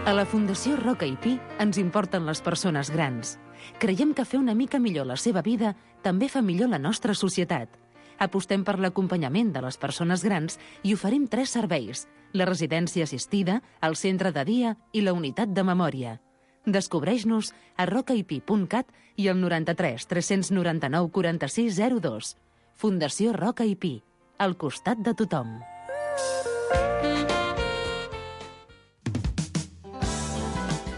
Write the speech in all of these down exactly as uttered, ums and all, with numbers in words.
A la Fundació Roca i Pi ens importen les persones grans. Creiem que fer una mica millor la seva vida també fa millor la nostra societat. Apostem per l'acompanyament de les persones grans i oferim tres serveis: la residència assistida, el centre de dia i la unitat de memòria. Descobreix-nos a rocaipi punt cat i al noranta-tres tres noranta-nou quaranta-sis zero dos. Fundació Roca i Pi, al costat de tothom.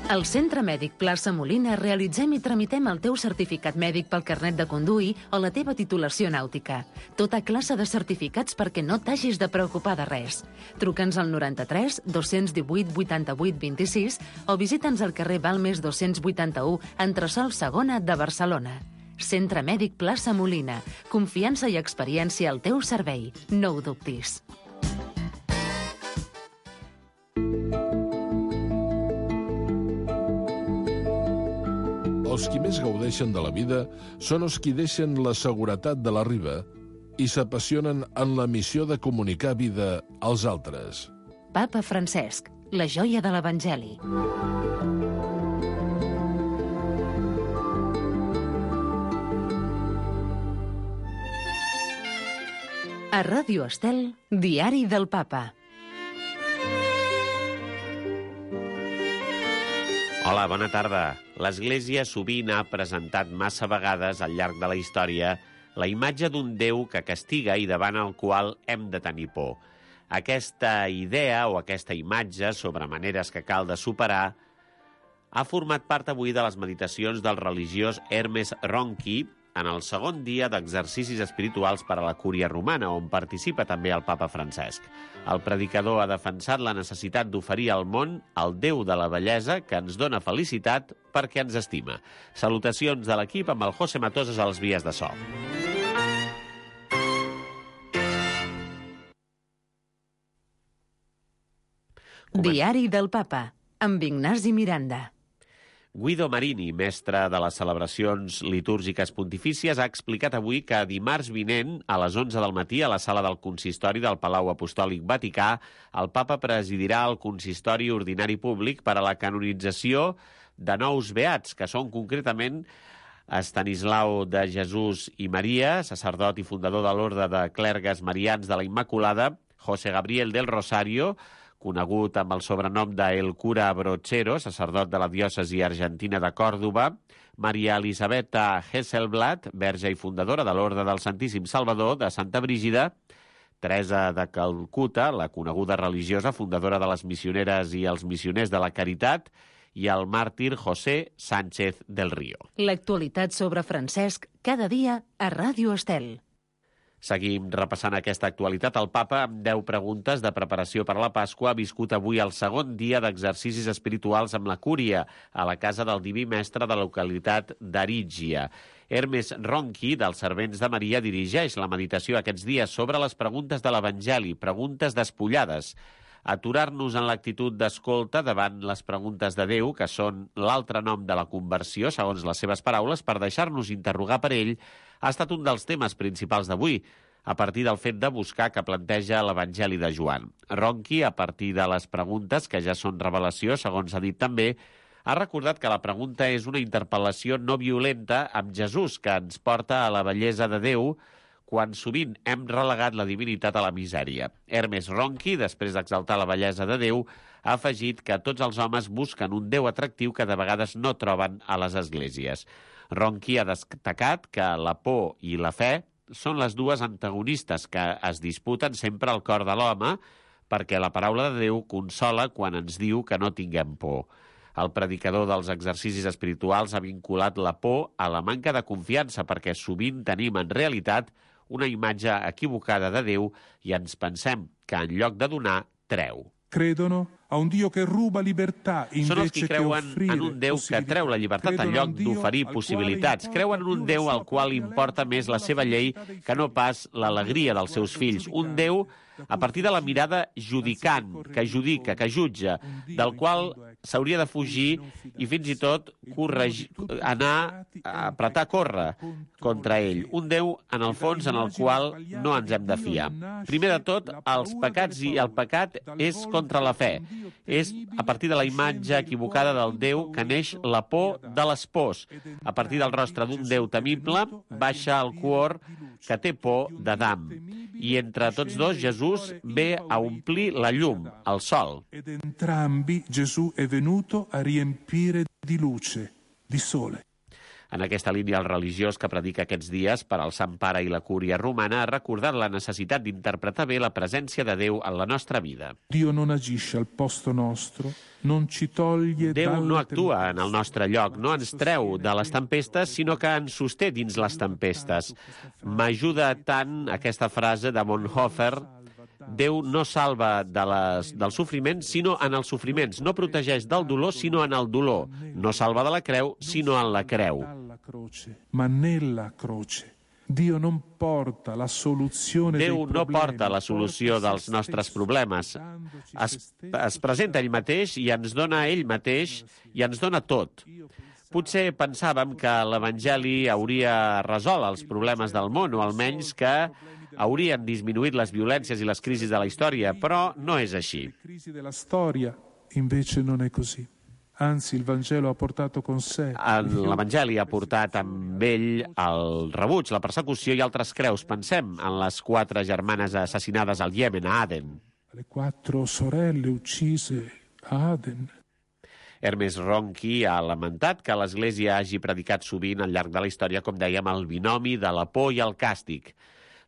Al Centre Mèdic Plaça Molina realitzem i tramitem el teu certificat mèdic pel carnet de conduir o la teva titulació nàutica. Tota classe de certificats perquè no t'hagis de preocupar de res. Truca'ns al noranta-tres dos divuit vuitanta-vuit vint-i-sis o visita'ns al carrer Balmes dos-cents vuitanta-u, entresòl segona de Barcelona. Centre Mèdic Plaça Molina. Confiança i experiència al teu servei. No ho dubtis. Els qui més gaudeixen de la vida són els qui deixen la seguretat de la riba i s'apassionen en la missió de comunicar vida als altres. Papa Francesc, la joia de l'Evangeli. A Ràdio Estel, Diari del Papa. Hola, bona tarda. L'Església sovint ha presentat massa vegades al llarg de la història la imatge d'un Déu que castiga i davant el qual hem de tenir por. Aquesta idea o aquesta imatge sobre maneres que cal de superar ha format part avui de les meditacions del religiós Hermes Ronchi en el segon dia d'exercicis espirituals per a la Cúria Romana, on participa també el papa Francesc. El predicador ha defensat la necessitat d'oferir al món el Déu de la bellesa que ens dona felicitat perquè ens estima. Salutacions de l'equip amb el José Matoses als vies de so. Diari del Papa, amb Ignasi Miranda. Guido Marini, mestre de les celebracions litúrgiques pontifícies, ha explicat avui que dimarts vinent, a les onze del matí, a la sala del consistori del Palau Apostòlic Vaticà, el papa presidirà el consistori ordinari públic per a la canonització de nous beats, que són concretament Estanislau de Jesús i Maria, sacerdot i fundador de l'Orde de Clergues Marians de la Immaculada, José Gabriel del Rosario, conegut amb el sobrenom de El Cura Brochero, sacerdot de la diòcesi argentina de Còrdova, Maria Elisabetta Hesselblad, verge i fundadora de l'Orde del Santíssim Salvador de Santa Brígida, Teresa de Calcuta, la coneguda religiosa, fundadora de les missioneres i els missioners de la Caritat, i el màrtir José Sánchez del Río. L'actualitat sobre Francesc cada dia a Ràdio Estel. Seguim repassant aquesta actualitat. El papa, amb deu preguntes de preparació per a la Pasqua, ha viscut avui el segon dia d'exercicis espirituals amb la Cúria, a la casa del Diví Mestre de la localitat d'Arígia. Hermes Ronchi, dels Servents de Maria, dirigeix la meditació aquests dies sobre les preguntes de l'Evangeli, preguntes despullades. Aturar-nos en l'actitud d'escolta davant les preguntes de Déu, que són l'altre nom de la conversió, segons les seves paraules, per deixar-nos interrogar per ell, ha estat un dels temes principals d'avui, a partir del fet de buscar que planteja l'Evangeli de Joan. Ronchi, a partir de les preguntes, que ja són revelació, segons ha dit també, ha recordat que la pregunta és una interpel·lació no violenta amb Jesús, que ens porta a la bellesa de Déu, quan sovint hem relegat la divinitat a la misèria. Hermes Ronchi, després d'exaltar la bellesa de Déu, ha afegit que tots els homes busquen un Déu atractiu que de vegades no troben a les esglésies. Ronchi ha destacat que la por i la fe són les dues antagonistes que es disputen sempre al cor de l'home, perquè la paraula de Déu consola quan ens diu que no tinguem por. El predicador dels exercicis espirituals ha vinculat la por a la manca de confiança, perquè sovint tenim en realitat una imatge equivocada de Déu i ens pensem que en lloc de donar, treu. Credono a un Dio che ruba libertà invece Són els qui creuen che en un Déu que treu la llibertat en lloc d'oferir possibilitats. Creuen en un Déu al qual importa més la seva llei que no pas l'alegria dels seus fills. Un Déu a partir de la mirada judicant, que judica, que jutja, del qual s'hauria de fugir i fins i tot corregir, anar a apretar a córrer contra ell. Un Déu, en el fons, en el qual no ens hem de fiar. Primer de tot, els pecats i el pecat és contra la fe. És a partir de la imatge equivocada del Déu que neix la por de les pors. A partir del rostre d'un Déu temible baixa el cor que té por d'Adam. I entre tots dos, Jesús ve a omplir la llum, el sol. Ed entrambi Gesù è venuto a riempire di luce, di sole. En aquesta línia, el religiós que predica aquests dies per al Sant Pare i la Cúria Romana ha recordat la necessitat d'interpretar bé la presència de Déu en la nostra vida. Dio non agisce al posto nostro, non ci toglie Déu no actua en el nostre lloc, no ens treu de les tempestes, sinó que ens sosté dins les tempestes. M'ajuda tant aquesta frase de Bonhoeffer: Déu no salva de les, del sofriment, sinó en els sofriments. No protegeix del dolor, sinó en el dolor. No salva de la creu, sinó en la creu. Ma nella croce. Dio non porta la soluzione dei Déu no problemi, porta la solució dels nostres problemes. Es, es presenta ell mateix i ens dona ell mateix i ens dona tot. Potser pensàvem que l'Evangeli hauria resolt els problemes del món, o almenys que haurien disminuït les violències i les crisis de la història, però no és així. La crisi della storia invece non è così. Anzi, il Vangelo ha portato con sé. L'Evangeli ha portat amb ell el rebuig, la persecució i altres creus. Pensem en les quatre germanes assassinades al Iemen, a Aden. Le quattro sorelle uccise a Aden. Hermes Ronchi ha lamentat que l'Església hagi predicat sovint al llarg de la història, com dèiem, el binomi de la por i el càstig.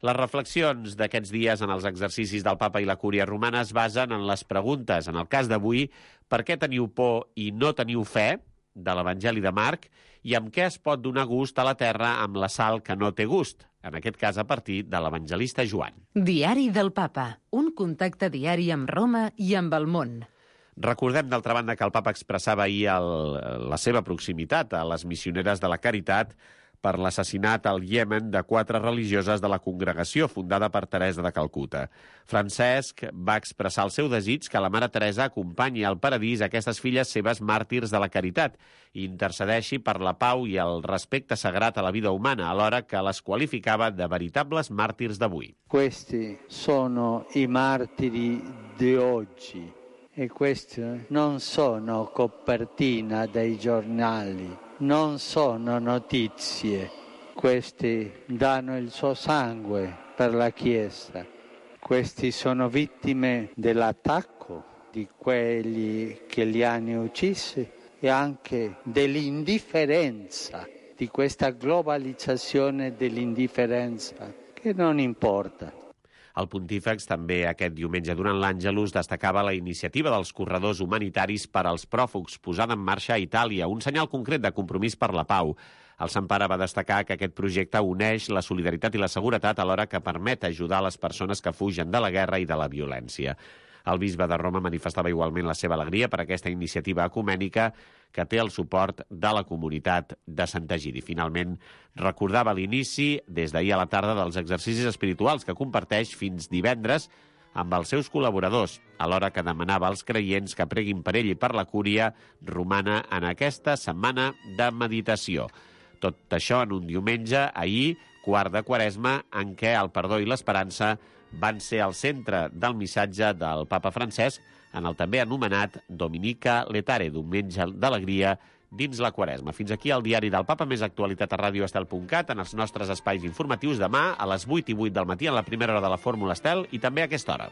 Les reflexions d'aquests dies en els exercicis del Papa i la Cúria Romana es basen en les preguntes. En el cas d'avui, per què teniu por i no teniu fe, de l'Evangeli de Marc, i amb què es pot donar gust a la terra amb la sal que no té gust, en aquest cas a partir de l'evangelista Joan. Diari del Papa, un contacte diari amb Roma i amb el món. Recordem, d'altra banda, que el Papa expressava ahir el, la seva proximitat a les missioneres de la Caritat per l'assassinat al Iemen de quatre religioses de la congregació fundada per Teresa de Calcuta. Francesc va expressar el seu desig que la Mare Teresa acompanyi al paradís aquestes filles seves màrtirs de la caritat i intercedeixi per la pau i el respecte sagrat a la vida humana, alhora que les qualificava de veritables màrtirs d'avui. Questi sono i martiri di oggi e questi non sono copertina dei giornali. Non sono notizie, questi danno il suo sangue per la Chiesa, questi sono vittime dell'attacco di quelli che li hanno uccisi e anche dell'indifferenza, di questa globalizzazione dell'indifferenza che non importa. El pontífex també aquest diumenge durant l'Àngelus destacava la iniciativa dels corredors humanitaris per als pròfugs posada en marxa a Itàlia, un senyal concret de compromís per la pau. El Sant Pare va destacar que aquest projecte uneix la solidaritat i la seguretat alhora que permet ajudar les persones que fugen de la guerra i de la violència. El bisbe de Roma manifestava igualment la seva alegria per aquesta iniciativa ecumènica que té el suport de la comunitat de Sant Egidi. Finalment, recordava l'inici, des d'ahir a la tarda, dels exercicis espirituals que comparteix fins divendres amb els seus col·laboradors, alhora que demanava als creients que preguin per ell i per la Cúria Romana en aquesta setmana de meditació. Tot això en un diumenge, ahir, quart de Quaresma, en què el perdó i l'esperança van ser al centre del missatge del Papa Francesc en el també anomenat Dominica Letare, diumenge d'alegria dins la Quaresma. Fins aquí el diari del Papa, més actualitat a ràdio estel punt cat, en els nostres espais informatius demà a les vuit i vuit del matí en la primera hora de la Fórmula Estel i també a aquesta hora.